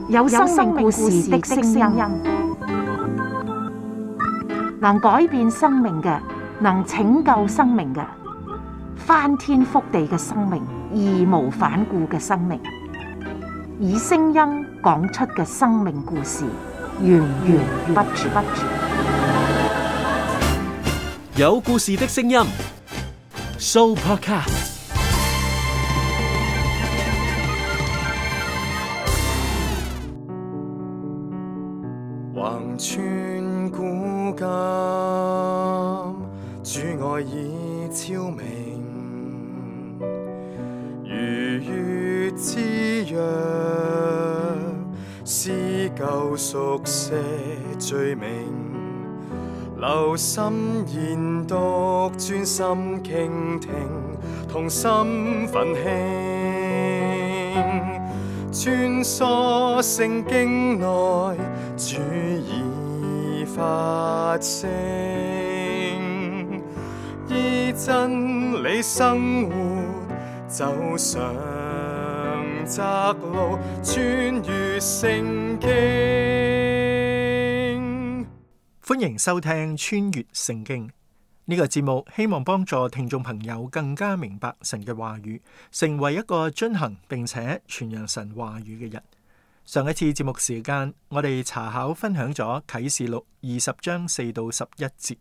有生命故事的聲音，能改變生命嘅，能拯救生命嘅，翻天覆地嘅生命，義無反顧嘅生命，以聲音講出嘅生命故事，源源不絕。有故事的聲音 ，Sooopodcast。橫穿古今，主愛已超明，如月之約，撕舊熟寫罪名，留心研讀，專心傾聽，同心奮興，穿梭聖經內，主已發聲，依真理生活，走上窄路，穿越聖經。歡迎收聽穿越聖經呢個節目，希望幫助聽眾朋友更加明白神嘅話語，成為一個遵行並且傳揚神話語嘅人。上一次節目時間，我哋查考分享咗啟示錄20章4到11節，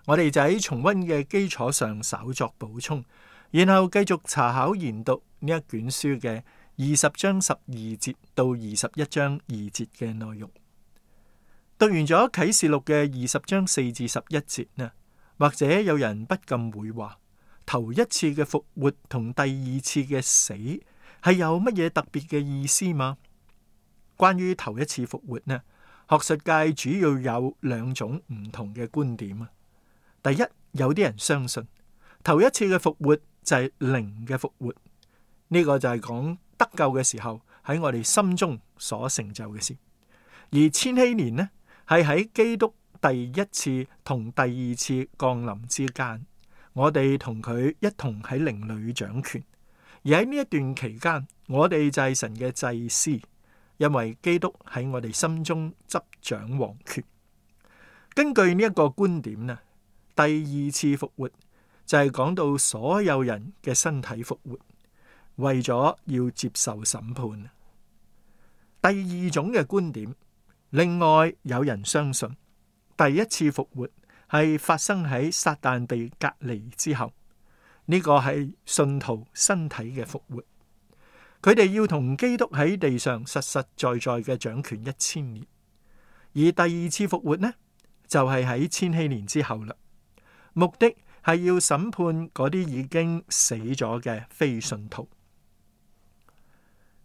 我哋就喺重溫嘅基礎上稍作補充，然後繼續查考研讀呢一卷書嘅20章12節到21章2節嘅內容。讀完咗啟示錄嘅20章4至11節呢，或者有人不禁會話，頭一次嘅復活同第二次嘅死係有乜嘢特別嘅意思嗎？關於頭一次復活呢，學術界主要有兩種唔同嘅觀點啊。第一，有啲人相信頭一次嘅復活就係靈嘅復活，呢個就係講得救嘅時候喺我哋心中所成就嘅事。而千禧年呢，係喺基督第一次同第二次降臨之間，我哋同佢一同喺靈裏掌權。而喺呢一段期間，我哋就係神嘅祭司，因為基督喺我哋心中執掌王權。根據呢一個觀點呢，第二次復活就係講到所有人嘅身體復活，為咗要接受審判。第二種嘅觀點，另外有人相信第一次復活係發生喺撒旦被隔離之後，呢個係信徒身體嘅復活。佢哋要同基督喺地上實實在在嘅掌權1000年，而第二次復活呢，就係喺千禧年之後啦。目的係要審判嗰啲已經死咗嘅非信徒。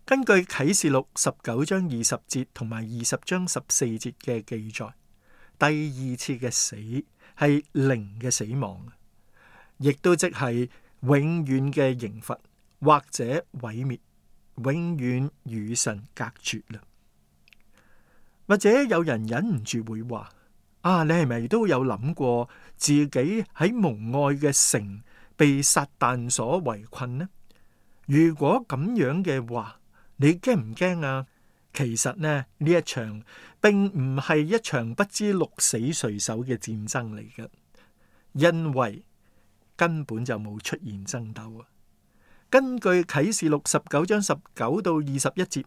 根據啟示錄19章20節同埋20章14節嘅記載，第二次嘅死係靈嘅死亡，亦都即係永遠嘅刑罰或者毀滅，永遠與神隔絕啦。或者有人忍唔住會話：你係咪都有諗過自己喺蒙愛嘅城被撒旦所圍困呢？如果咁樣嘅話，你驚唔驚啊？其實呢一場並唔係一場不知鹿死誰手嘅戰爭嚟嘅，因為根本就冇出現爭鬥啊。根據啟示錄19章19到21節，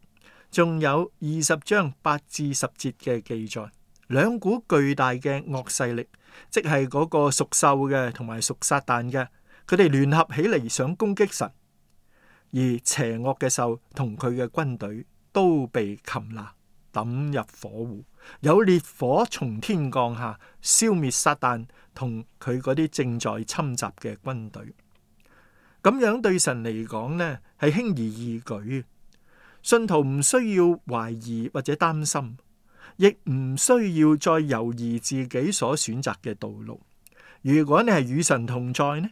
仲有20章8至10節嘅記載，兩股巨大嘅惡勢力，即係嗰個屬獸嘅同埋屬撒旦嘅，佢哋聯合起嚟想攻擊神，而邪惡嘅獸同佢嘅軍隊都被擒拿，抌入火湖，有烈火從天降下，消滅撒旦同佢嗰啲正在侵襲嘅軍隊。咁樣對神嚟講呢，係輕而易舉。信徒唔需要懷疑或者擔心，亦唔需要再猶豫自己所選擇嘅道路。如果你係與神同在呢，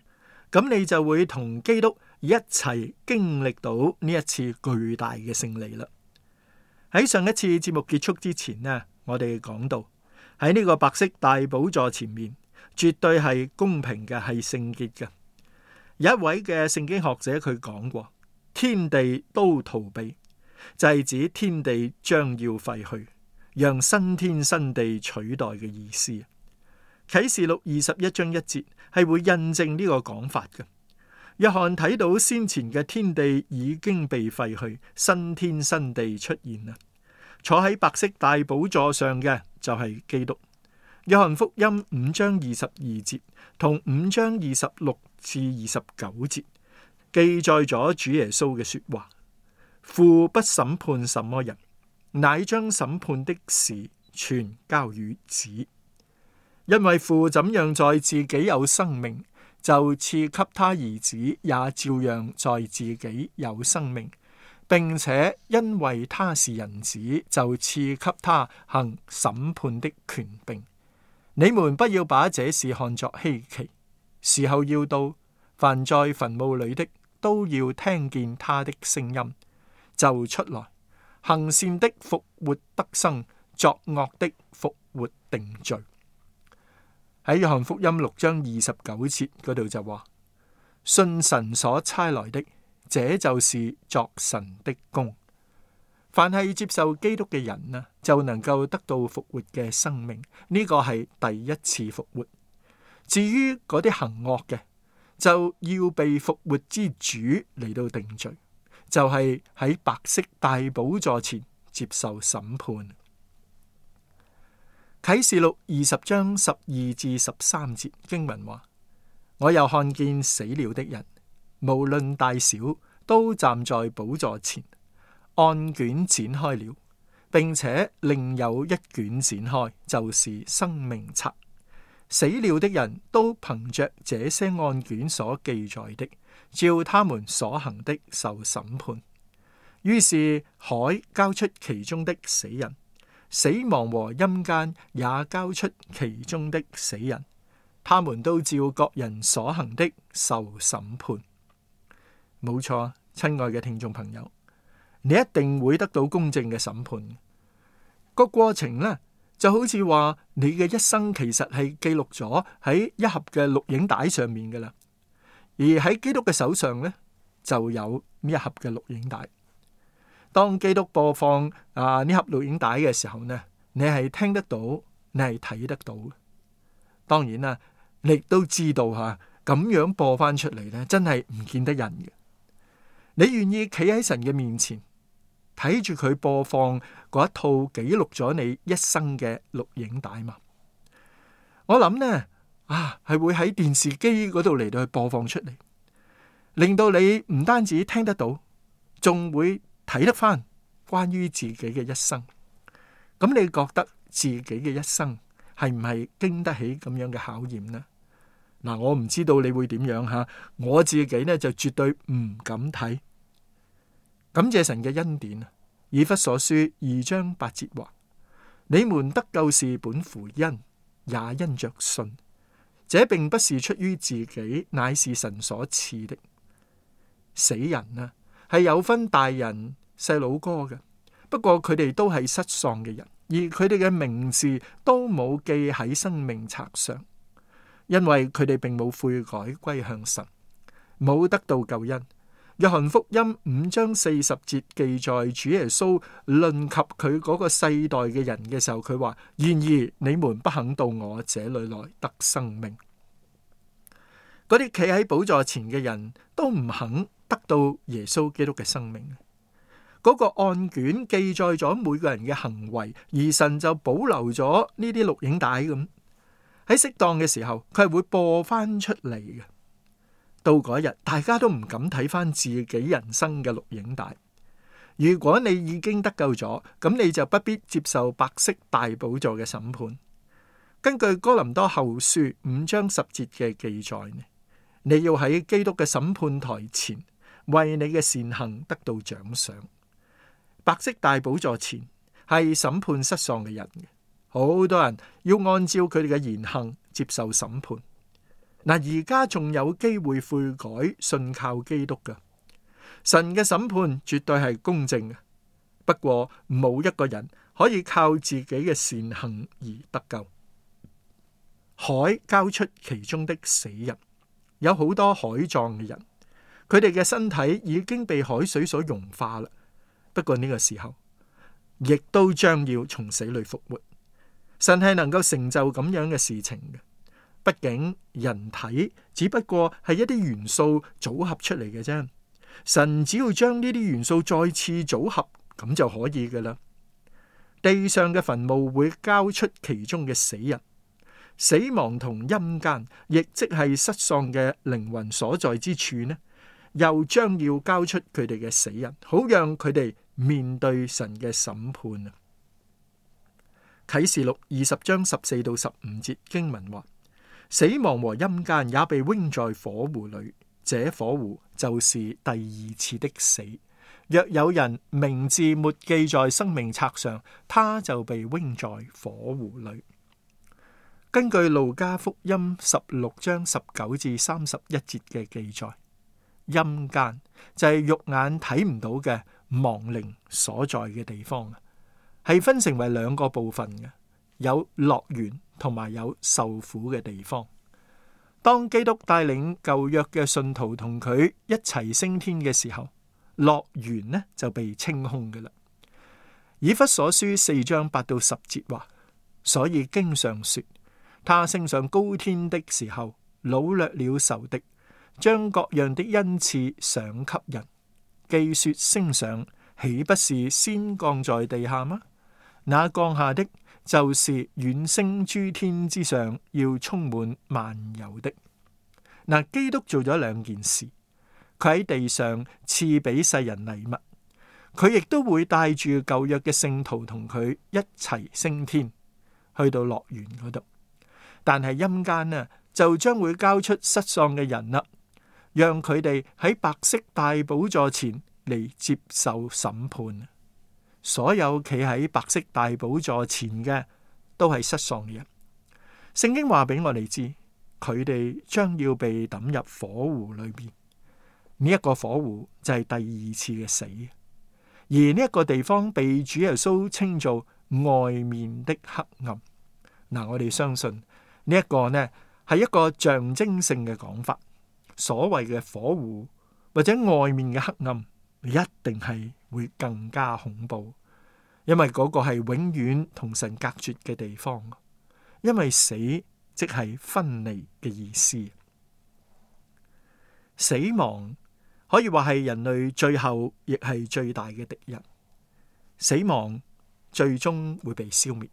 咁你就會同基督一齊經歷到呢一次巨大嘅勝利啦。喺上一次節目結束之前呢，我哋講到喺呢個白色大寶座前面，絕對係公平嘅，係聖潔嘅。有一位嘅聖經學者佢講過，天地都逃避，就係指天地將要廢去，讓新天新地取代嘅意思。啟示錄21章1節係會印證呢個講法嘅。約翰睇到先前嘅天地已經被廢去，新天新地出現啦。坐喺白色大寶座上嘅就係基督。約翰福音5章22節同5章26至29節記載咗主耶穌嘅說話：父不審判什麼人，乃將審判的事全交與子，因為父怎樣在自己有生命，就賜給他兒子，也照樣在自己有生命，並且因為他是人子，就賜給他行審判的權柄。你們不要把這事看作稀奇，時候要到，凡在墳墓裏的都要聽見他的聲音，就出來，行善的復活得生，作惡的復活定罪。喺約翰福音6章29節嗰度就話：信神所差來的，這就是作神的工。凡係接受基督嘅人啊，就能夠得到復活嘅生命，呢個係第一次復活。至於嗰啲行惡嘅，就要被復活之主嚟到定罪，就係喺白色大寶座前接受審判。啟示錄20章12至13節經文話：我又看見死了的人，無論大小，都站在寶座前，案卷展開了，並且另有一卷展開，就是生命冊。死了的人都憑着這些案卷所記載的，照他們所行的受審判。於是海交出其中的死人，死亡和陰間也交出其中的死人，他們都照各人所行的受審判。冇錯，親愛嘅聽眾朋友，你一定會得到公正嘅審判。個過程呢，就好似話你嘅一生其實係記錄咗喺一盒嘅錄影帶上面噶啦，而喺基督嘅手上呢，就有呢一盒嘅錄影帶。當基督播放呢盒錄影帶嘅時候呢，你係聽得到，你係睇得到。當然啦，你亦都知道咁樣播翻出嚟呢，真係唔見得人嘅。你願意企喺神嘅面前，睇住佢播放嗰一套記錄咗你一生嘅錄影帶嘛？我諗呢，係會喺電視機嗰度嚟到去播放出嚟，令到你唔單止聽得到，仲會睇得翻關於自己嘅一生。咁你覺得自己嘅一生係唔係經得起咁樣嘅考驗呢？嗱，我唔知道你會點樣吓，我自己呢就絕對唔敢睇。感謝神嘅恩典。以弗所書2章8節話：你們得救是本乎恩，也因着信。這並不是出於自己，乃是神所賜的。死人啊，係有分大人細佬哥嘅，不過佢哋都係失喪嘅人，而佢哋嘅名字都冇記喺生命冊上，因為佢哋並冇悔改歸向神，冇得到救恩。約翰福音5章40節記載主耶穌論及佢嗰個世代嘅人嘅時候，佢話：然而你們不肯到我這裏來得生命。嗰啲企喺寶座前嘅人都唔肯得到耶穌基督嘅生命。嗰個案卷記載咗每個人嘅行為，而神就保留咗呢啲錄影帶咁，喺適當嘅時候佢係會播翻出嚟嘅。到嗰日，大家都唔敢睇翻自己人生嘅錄影帶。如果你已經得救咗，咁你就不必接受白色大寶座嘅審判。根據哥林多後書5章10節嘅記載，你要喺基督嘅審判台前，為你嘅善行得到獎賞。白色大寶座前係審判失喪嘅人嘅，好多人要按照佢哋嘅言行接受審判。嗱，而家仲有機會悔改，信靠基督㗎。神嘅審判絕對係公正嘅，不過冇一個人可以靠自己嘅善行而得救。海交出其中的死人，有好多海葬嘅人，佢哋嘅身體已經被海水所融化啦。不過呢個時候，亦都將要從死裏復活。神係能夠成就咁樣嘅事情嘅。畢竟人體只不過係一啲元素組合出嚟嘅啫，神只要將呢啲元素再次組合，咁就可以噶啦。地上嘅墳墓會交出其中嘅死人，死亡同陰間，亦即係失喪嘅靈魂所在之處呢，又將要交出佢哋嘅死人，好讓佢哋面對神嘅審判啊。啟示錄20章14到15節經文話：死亡和陰間也被扔在火湖裏，這火湖就是第二次的死。若有人名字沒記在生命冊上，他就被扔在火湖裏。根據路加福音16章19至31節嘅記載，陰間就係肉眼睇唔到嘅亡靈所在嘅地方，係分成為兩個部分嘅，有樂園同埋有受苦嘅地方。當基督帶領舊約嘅信徒同佢一齊升天嘅時候，樂園呢就被清空嘅啦。以弗所書4章8到10節話：所以經上說，他升上高天的時候，擄掠了仇敵，將各樣的恩賜賞給人。既說升上，豈不是先降在地下嗎？那降下的，就是遠升諸天之上，要充滿萬有的。嗱，基督做咗兩件事，佢喺地上賜俾世人禮物，佢亦都會帶住舊約嘅聖徒同佢一齊升天，去到樂園嗰度。但係陰間呢，就將會交出失喪嘅人啦，讓佢哋喺白色大寶座前嚟接受審判。所有企喺白色大寶座前嘅都係失喪嘅人。聖經話俾我哋知，佢哋將要被抌入火湖裏邊。呢一個火湖就係第二次嘅死，而呢一個地方被主耶穌稱做外面的黑暗。嗱，我哋相信呢一個呢係一個象徵性嘅講法。所謂嘅火湖或者外面嘅黑暗，一定係會更加恐怖，因為嗰個係永遠同神隔絕嘅地方。因為死即係分離嘅意思。死亡可以話係人類最後亦係最大嘅敵人。死亡最終會被消滅，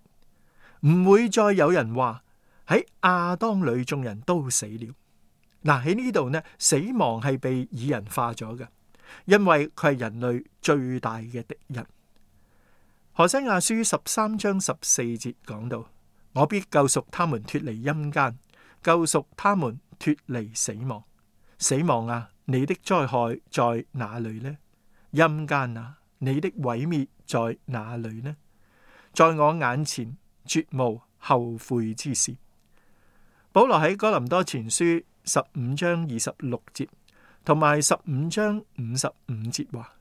唔會再有人話喺亞當裏眾人都死了。嗱，喺呢度呢，死亡係被擬人化咗嘅，因為佢係人類最大嘅敵人。何西阿書13章14節講到：我必救贖他們脫離陰間，救贖他們脫離死亡。死亡啊，你的災害在哪裏呢？陰間啊，你的毀滅在哪裏呢？在我眼前絕無後悔之事。保羅喺哥林多前書15章26節同埋15章55節話：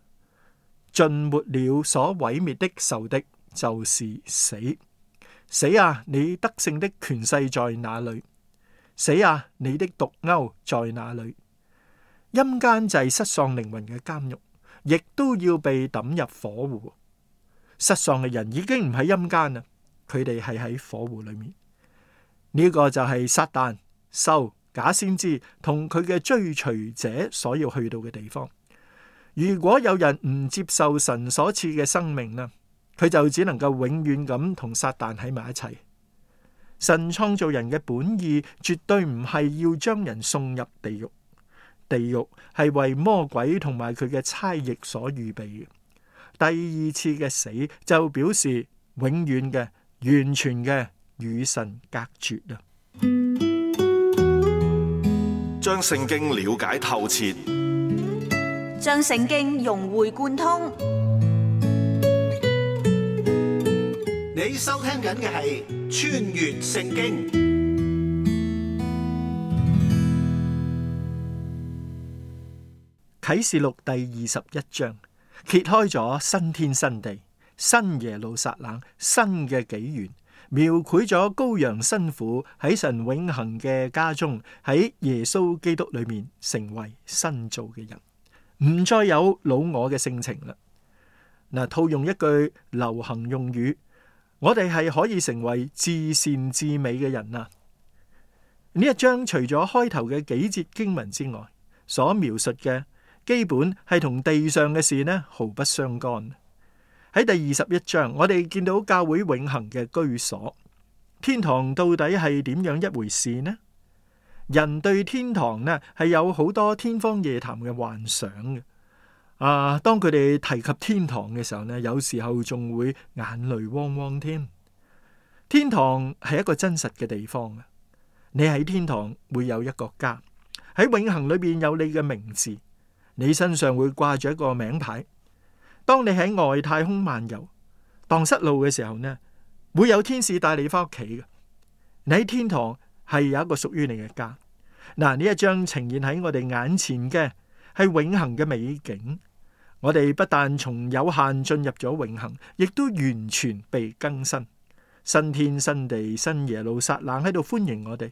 盡沒了所毀滅的仇敵，就是死。死啊，你得勝的權勢在哪裏？死啊，你的毒鈎在哪裏？陰間就係失喪靈魂嘅監獄，亦都要被抌入火湖。失喪嘅人已經唔喺陰間啦，佢哋係喺火湖裏面。呢個就係撒旦、獸、假先知同佢嘅追隨者所要去到嘅地方。如果有人唔接受神所賜嘅生命啦，佢就只能夠永遠咁同撒旦喺埋一齊。神創造人嘅本意絕對唔係要將人送入地獄，地獄係為魔鬼同埋佢嘅差役所預備嘅。第二次嘅死就表示永遠嘅、完全嘅與神隔絕啊！將聖經了解透徹，將聖經融會貫通。你收聽緊嘅係《穿越聖經》。啟示錄第21章揭開咗新天新地、新耶路撒冷、新嘅紀元，描繪咗羔羊新婦喺神永恆嘅家中，喺耶穌基督裏面成為新造嘅人，唔再有老我嘅性情啦。嗱，套用一句流行用語，我哋係可以成為至善至美嘅人啊！呢一章除咗開頭嘅幾節經文之外，所描述嘅基本係同地上嘅事呢毫不相干。喺第21章，我哋見到教會永恆嘅居所，天堂到底係點樣一回事呢？人對天堂呢係有好多天方夜譚嘅幻想嘅。當佢哋提及天堂嘅時候呢，有時候仲會眼淚汪汪添。天堂係一個真實嘅地方啊！你喺天堂會有一個家，喺永恆裏邊有你嘅名字，你身上會掛住一個名牌。當你喺外太空漫遊，蕩失路嘅時候呢，會有天使帶你翻屋企嘅。你喺天堂係有一個屬於你嘅家。嗱，呢一章呈現喺我哋眼前嘅係永恆嘅美景。我哋不但從有限進入咗永恆，亦都完全被更新。新天新地，新耶路撒冷喺度歡迎我哋。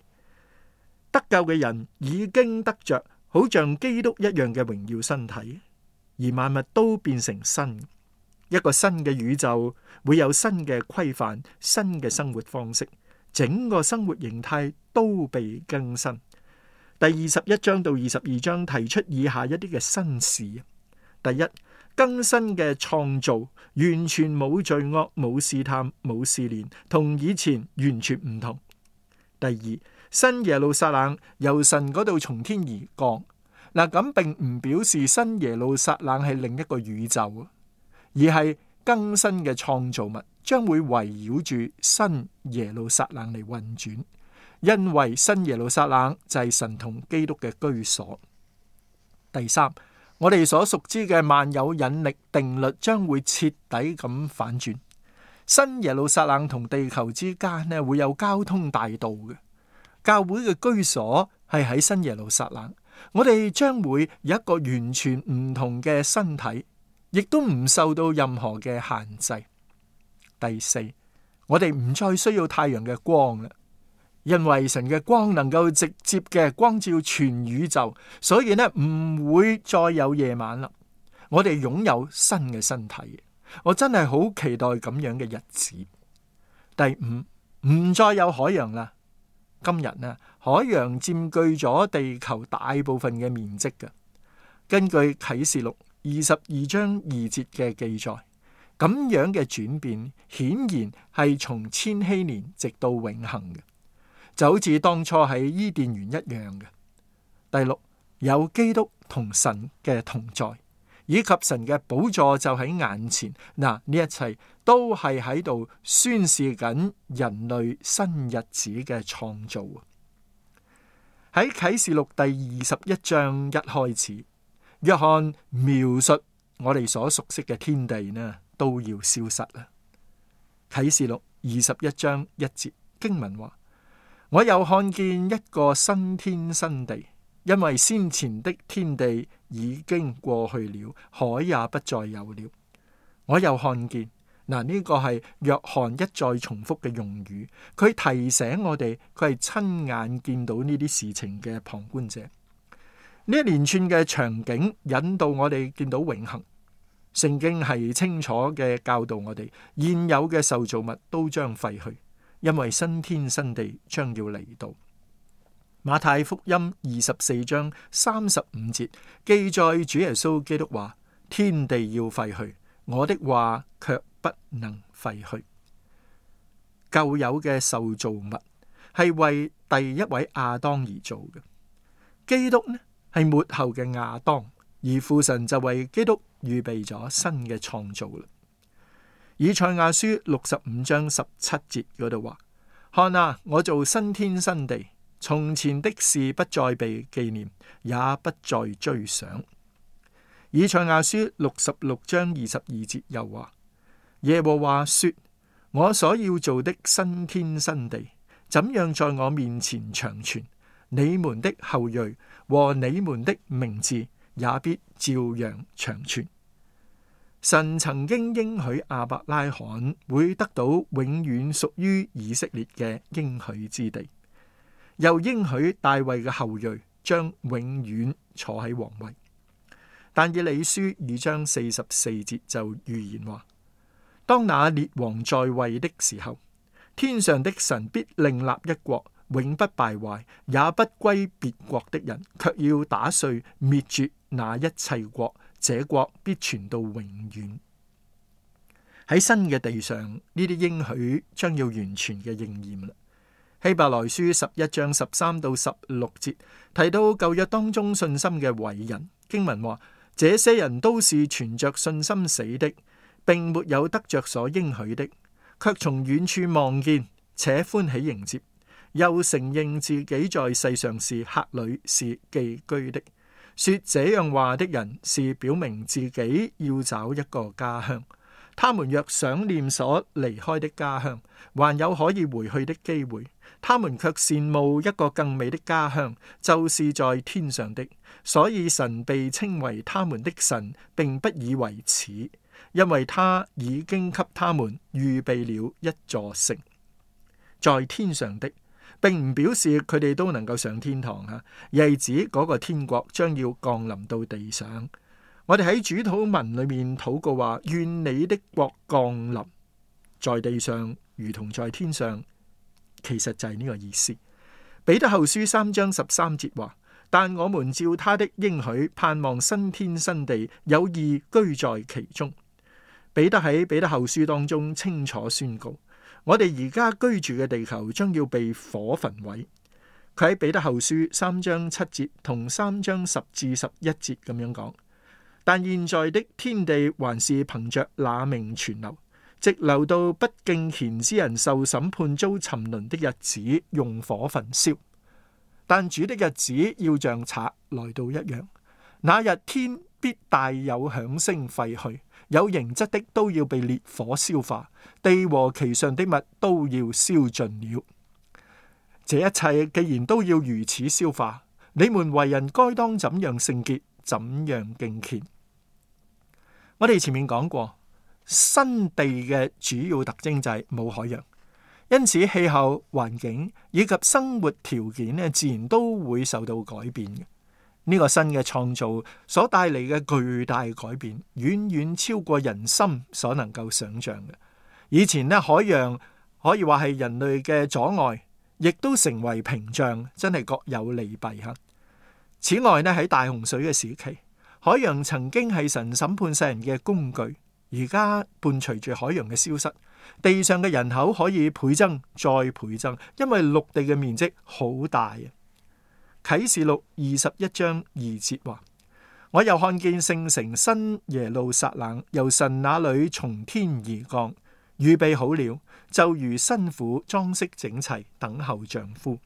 得救嘅人已經得着好像基督一樣嘅榮耀身體，而萬物都變成新。一個新嘅宇宙會有新嘅規範，新嘅生活方式，整個生活形態都被更新。第21章到22章提出以下一啲嘅新事。第一，更新嘅創造完全冇罪惡，冇試探，冇試煉，同以前完全唔同。第二，新耶路撒冷由神嗰度從天而降。嗱，咁並唔表示新耶路撒冷係另一個宇宙，而係更新嘅創造物將會圍繞住新耶路撒冷嚟運轉，因為新耶路撒冷就係神同基督嘅居所。第三，我哋所熟知嘅萬有引力定律將會徹底咁反轉，新耶路撒冷同地球之間呢會有交通大道嘅。教會嘅居所係喺新耶路撒冷，我哋將會有一個完全唔同嘅身體，亦都唔受到任何嘅限制。第四，我哋唔再需要太陽嘅光啦，因為神嘅光能夠直接嘅光照全宇宙，所以呢唔會再有夜晚啦。我哋擁有新嘅身體，我真係好期待咁樣嘅日子。第五，唔再有海洋啦。今日呢，海洋佔據咗地球大部分嘅面積嘅。根據啟示錄22章2節嘅記載，咁樣嘅轉變顯然係從千禧年直到永恆嘅，就好似當初喺伊甸園一樣嘅。第六，有基督同神嘅同在，以及神嘅寶座就喺眼前。嗱，呢一切都係喺度宣示緊人類新日子嘅創造。喺啟示錄第21章一開始，約翰描述我哋所熟悉嘅天地呢都要消失啦。啟示錄21章1節經文話：我又看見一個新天新地，因為先前的天地已經過去了，海也不再有了。我又看見，嗱，呢個係約翰一再重複嘅用語，佢提醒我哋，佢係親眼見到呢啲事情嘅旁觀者。呢一連串嘅場景引導我哋見到永恆。聖經係清楚嘅教導我哋，現有嘅受造物都將廢去，因為新天新地將要嚟到。馬太福音24章35節記載主耶穌基督話：天地要廢去，我的話卻不能廢去。舊有嘅受造物係為第一位亞當而做嘅，基督呢係末後嘅亞當，而父神就為基督預備咗新嘅創造啦。以賽亞書65章17節嗰度話：看啊，我做新天新地，從前的事不再被紀念，也不再追想。以賽亞書66章22節又話：耶和華說，我所要做的新天新地，怎樣在我面前長存，你們的後裔和你們的名字也必照樣長存。神曾經應許亞伯拉罕會得到永遠屬於以色列嘅應許之地，又應許大衛嘅後裔將永遠坐喺皇位。但以理書2章44節就預言話：當那列王在位的時候，天上的神必另立一國，永不敗壞，也不歸別國的人，卻要打碎滅絕那一切國，這國必傳到永遠。喺新嘅地上，呢啲應許將要完全嘅應驗啦。希伯來書11章13到16節提到舊約當中信心嘅偉人，經文話：這些人都是存着信心死的，並沒有得着所應許的，卻從遠處望見，且歡喜迎接，又承認自己在世上是客旅，是寄居的。說這樣話的人是表明自己要找一個家鄉。他們若想念所離開的家鄉，還有可以回去的機會，他們卻羨慕一個更美的家鄉，就是在天上的。所以神被稱為他們的神，並不以為恥，因為他已經給他們預備了一座城。在天上的，並唔表示佢哋都能夠上天堂啊，而係指嗰個天國將要降臨到地上。我哋喺主禱文裏面禱告話：願你的國降臨在地上，如同在天上。其實就係呢個意思。彼得後書3章13節話：但我們照他的應許，盼望新天新地，有義居在其中。彼得喺彼得後書當中清楚宣告，我哋而家居住嘅地球將要被火焚毀。佢喺彼得後書3章7節同3章10至11節咁樣講。但現在的天地還是憑着那命存留，直留到不敬虔之人受審判遭沉淪的日子，用火焚燒。但主的日子要像賊來到一樣，那日天必大有響聲廢去，有形質的都要被烈火消化，地和其上的物都要燒盡了。這一切既然都要如此消化，你們為人該當怎樣聖潔，怎樣敬虔。我哋前面講過，新地嘅主要特徵就係冇海洋，因此氣候環境以及生活條件呢，自然都會受到改變嘅。呢個新嘅創造所帶嚟嘅巨大改變，遠遠超過人心所能夠想象嘅。以前呢，海洋可以話係人類嘅阻礙，亦都成為屏障，真係各有利弊吓。此外呢，喺大洪水嘅時期，海洋曾經係神審判世人嘅工具，而家伴隨住海洋嘅消失，地上嘅人口可以倍增再倍增，因為陸地嘅面積好大啊。啟示錄21章2節話：我又看見聖城新耶路撒冷由神那裏從天而降，預備好了，就如新婦裝飾整齊，等候丈夫。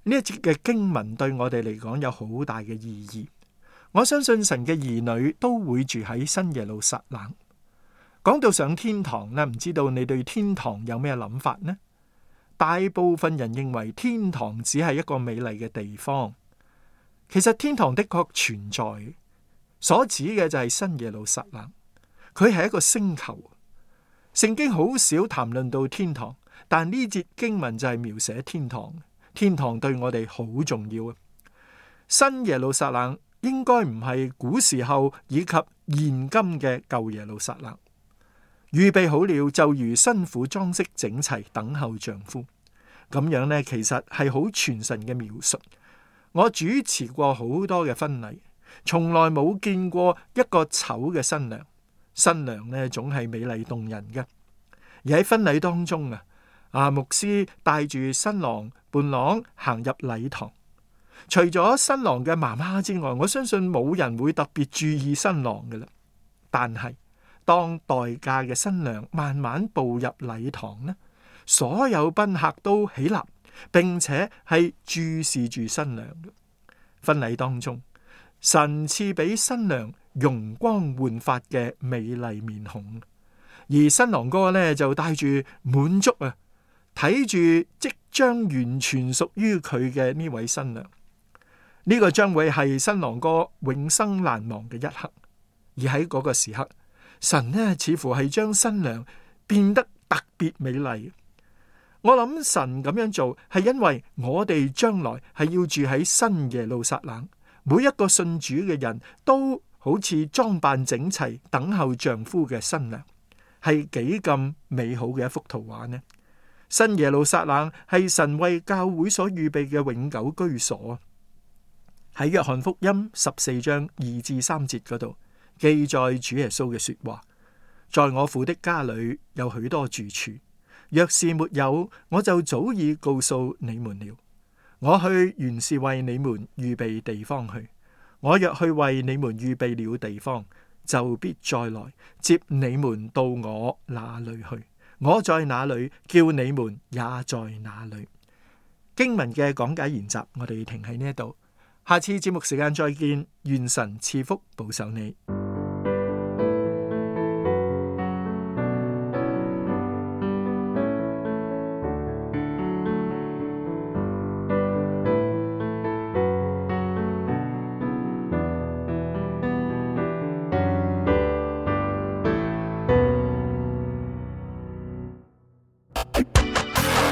呢一節嘅經文對我哋嚟講有好大嘅意義。我相信神嘅兒女都會住喺新耶路撒冷。講到上天堂呢，唔知道你對天堂有咩諗法呢？大部分人認為天堂只係一個美麗嘅地方。其實天堂的確存在，所指嘅就係新耶路撒冷。佢係一個星球。聖經好少談論到天堂，但呢節經文就係描寫天堂。天堂對我哋好重要啊！新耶路撒冷應該唔係古時候以及現今嘅舊耶路撒冷。預備好了，就如新婦裝飾整齊，等候丈夫。咁樣呢，其實係好傳神嘅描述。我主持過好多嘅婚禮，從來冇見過一個醜嘅新娘。新娘呢，總係美麗動人嘅。而喺婚禮當中牧師帶住新郎伴郎行入禮堂。除咗新郎嘅媽媽之外，我相信冇人會特別注意新郎嘅啦。但係當待嫁嘅新娘慢慢步入禮堂呢，所有賓客都起立，並且係注視住新娘嘅。婚禮當中，神賜俾新娘容光煥發嘅美麗面孔，而新郎哥呢就帶住滿足睇住即將完全屬於佢嘅呢位新娘。呢個將會係新郎哥永生難忘嘅一刻，而喺嗰個時刻，神呢似乎係將新娘變得特別美麗。我諗神咁樣做係因為我哋將來係要住喺新耶路撒冷，每一個信主嘅人都好似裝扮整齊，等候丈夫嘅新娘，係幾咁美好嘅一幅圖畫呢？新耶路撒冷係神為教會所預備嘅永久居所。喺約翰福音14章2至3節嗰度記載主耶穌嘅說話：在我父的家裏有許多住處，若是沒有，我就早已告訴你們了。我去原是為你們預備地方去。我若去為你們預備了地方，就必再來接你們到我那裏去。我在哪裏，叫你們也在哪裏。經文嘅講解研習，我哋停喺呢一度。下次節目時間再見，願神賜福保守你。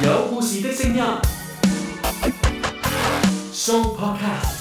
有故事的聲音，Show Podcast。